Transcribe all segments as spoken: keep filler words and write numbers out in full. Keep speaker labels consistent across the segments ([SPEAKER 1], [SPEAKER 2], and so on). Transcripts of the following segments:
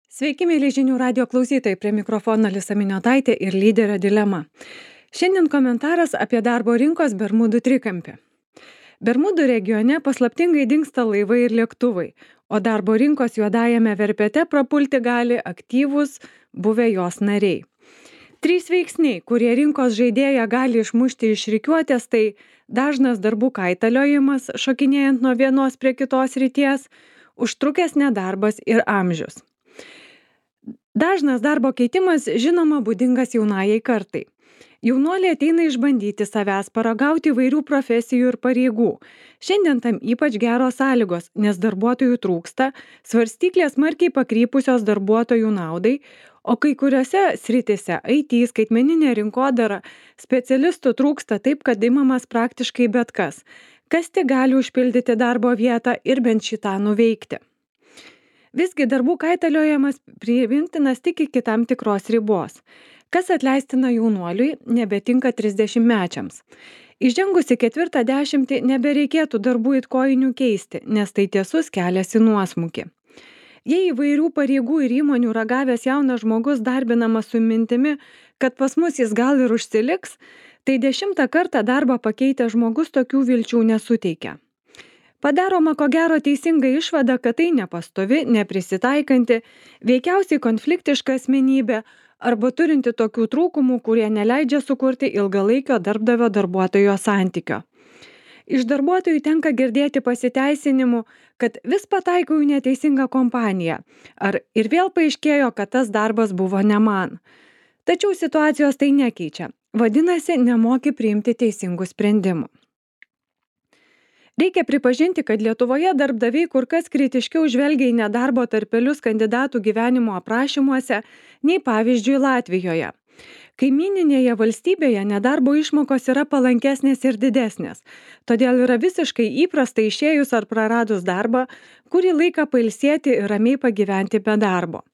[SPEAKER 1] Sveiki, mėly žinių radio klausytojai, prie mikrofono Alisa Miniotaitė ir lyderio dilema. Šiandien komentaras apie darbo rinkos Bermudų trikampį. Bermudų regione paslaptingai dingsta laivai ir lėktuvai, o darbo rinkos juodajame verpete prapulti gali aktyvūs buvę jos nariai. Trys veiksniai, kurie rinkos žaidėją gali išmušti iš rikiuotės, tai dažnas darbų kaitaliojimas, šokinėjant nuo vienos prie kitos ryties, užtrukęs nedarbas ir amžius. Dažnas darbo keitimas, žinoma, būdingas jaunajai kartai. Jaunuoliai ateina išbandyti savęs, paragauti įvairių profesijų ir pareigų. Šiandien tam ypač geros sąlygos, nes darbuotojų trūksta, svarstyklės smarkiai pakrypusios darbuotojų naudai, o kai kuriuose sritise I T, skaitmeninė rinkodara, specialistų trūksta taip, kad imamas praktiškai bet kas, kas tik gali užpildyti darbo vietą ir bent šitą nuveikti. Visgi darbų kaitaliojimas priimtinas tik iki tam tikros ribos. Kas atleistina jaunuoliui, nebetinka trisdešimtmečiams. Įžengus į ketvirtą dešimtį nebereikėtų darbų it kojinių keisti, nes tai tiesus kelias į nuosmukį. Jei įvairių pareigų ir įmonių ragavęs jaunas žmogus darbinamas su mintimi, kad pas mus jis gal ir užsiliks, tai dešimtą kartą darbą pakeitęs žmogus tokių vilčių nesuteikia. Padaroma ko gero teisinga išvada, kad tai nepastovi, neprisitaikanti, veikiausiai konfliktiška asmenybė arba turinti tokių trūkumų, kurie neleidžia sukurti ilgalaikio darbdavio darbuotojo santykio. Iš darbuotojų tenka girdėti pasiteisinimų, kad vis pataikau į neteisingą kompaniją, ar ir vėl paaiškėjo, kad tas darbas buvo ne man. Tačiau situacijos tai nekeičia, vadinasi, nemoki priimti teisingų sprendimų. Reikia pripažinti, kad Lietuvoje darbdaviai kur kas kritiškiau žvelgia į nedarbo tarpelius kandidatų gyvenimo aprašymuose, nei pavyzdžiui Latvijoje. Kaimyninėje valstybėje nedarbo išmokos yra palankesnės ir didesnės, todėl yra visiškai įprasta išėjus ar praradus darbą, kurį laiką pailsėti ir ramiai pagyventi be darbo.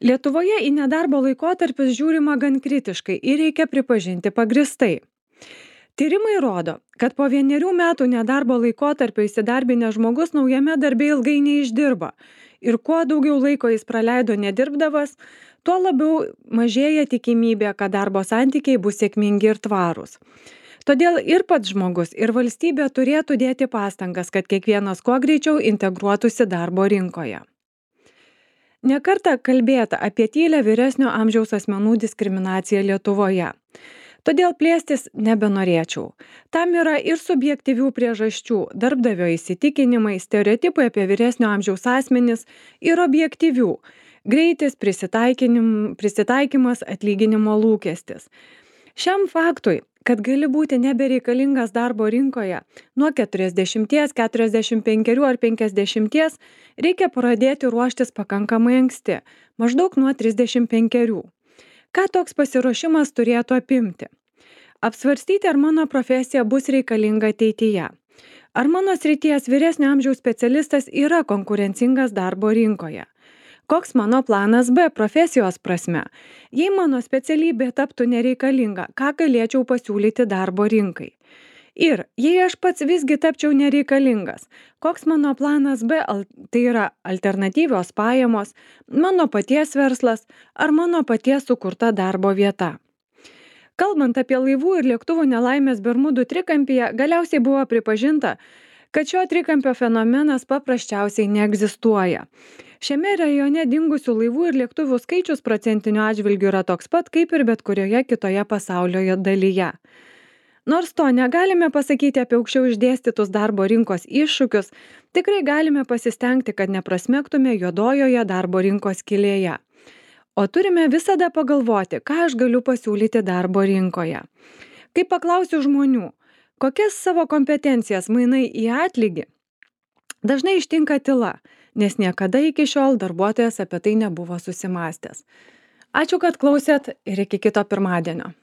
[SPEAKER 1] Lietuvoje į nedarbo laikotarpius žiūrima gan kritiškai ir reikia pripažinti pagristai. Tyrimai rodo, kad po vienerių metų nedarbo laikotarpio įsidarbinęs žmogus naujame darbe ilgai neišdirba ir kuo daugiau laiko jis praleido nedirbdavas, tuo labiau mažėja tikimybė, kad darbo santykiai bus sėkmingi ir tvarūs. Todėl ir pats žmogus, ir valstybė turėtų dėti pastangas, kad kiekvienas kuo greičiau integruotųsi darbo rinkoje. Ne kartą kalbėta apie tylią vyresnio amžiaus asmenų diskriminaciją Lietuvoje. Todėl plėstis nebenorėčiau. Tam yra ir subjektyvių priežasčių, darbdavio įsitikinimai, stereotipai apie vyresnio amžiaus asmenis ir objektyvių – greitis, prisitaikymas, atlyginimo lūkestis. Šiam faktui, kad gali būti nebereikalingas darbo rinkoje nuo keturiasdešimties, keturiasdešimt penkerių ar penkiasdešimties, reikia pradėti ruoštis pakankamai anksti, maždaug nuo trisdešimt penkerių. Ką toks pasiruošimas turėtų apimti? Apsvarstyti, ar mano profesija bus reikalinga ateityje. Ar mano srities vyresnio amžiaus specialistas yra konkurencingas darbo rinkoje. Koks mano planas B profesijos prasme? Jei mano specialybė taptų nereikalinga, ką galėčiau pasiūlyti darbo rinkai? Ir jei aš pats visgi tapčiau nereikalingas, koks mano planas B, tai yra alternatyvios pajamos, mano paties verslas ar mano paties sukurta darbo vieta. Kalbant apie laivų ir lėktuvų nelaimės Bermudų trikampyje, galiausiai buvo pripažinta, kad šio trikampio fenomenas paprasčiausiai neegzistuoja. Šiame rajone dingusių laivų ir lėktuvų skaičius procentiniu atžvilgiu yra toks pat, kaip ir bet kurioje kitoje pasaulio dalyje. Nors to negalime pasakyti apie aukščiau išdėstytus darbo rinkos iššūkius, tikrai galime pasistengti, kad neprasmegtume juodojoje darbo rinkos skylėje. O turime visada pagalvoti, ką aš galiu pasiūlyti darbo rinkoje. Kai paklausiu žmonių, kokias savo kompetencijas mainai į atlygį, dažnai ištinka tyla, nes niekada iki šiol darbuotojas apie tai nebuvo susimąstęs. Ačiū, kad klausėt ir iki kito pirmadienio.